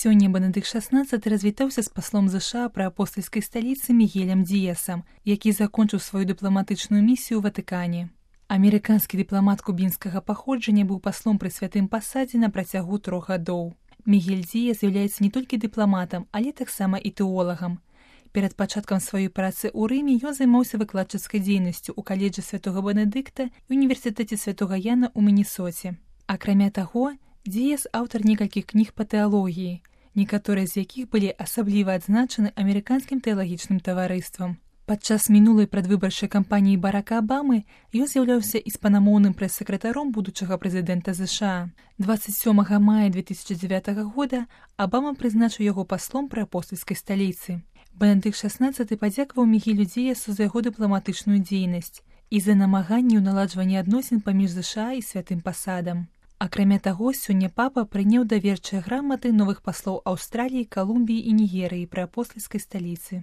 Сёння Бенедыкт XVI развітаўся з паслом ЗША пры апостальскай сталіцы Мігелем Діясам, які закончыў сваю дыпламатычную місію ў Ватыкане. Амерыканскі дыпламат кубінскага паходжання быў паслом пры святым пасадзе на працягу 3 гадоў. Мігель Діяс з'яўляецца не толькі дыпламатам, але таксама і тэолагам. Перад пачаткам сваёй працы ў Рыме ён займаўся выкладчыцкай дзейнасцю ў каледжы святога Бенедыкта і універсітэце святога Яна ў Мінесоце. Акрамя таго, Діяс аўтар некалькіх кніг па тэалогіі, некаторыя з якіх былі асабліва адзначаны амерыканскім тэалагічным таварыствам. Падчас минулай прадвыбарчай кампаніі Барака Абамы ён з'яўляўся іспанамоўным прэс-сакратаром будучага прэзідэнта ЗША. 27 мая 2009 года Абама прызначыў яго паслом пры апостальскай сталіцы. Бенедыкт XVI падзякаваў Мігелю Діясу за яго дыпламатычную дзейнасць і за намаганні ў наладжванні адносін паміж ЗША і святым пасадам. Акрамя таго, сёння папа прыняў даверчыя граматы новых паслоў Аўстраліі, Калумбіі і Нігерыі пры апостальскай сталіцы.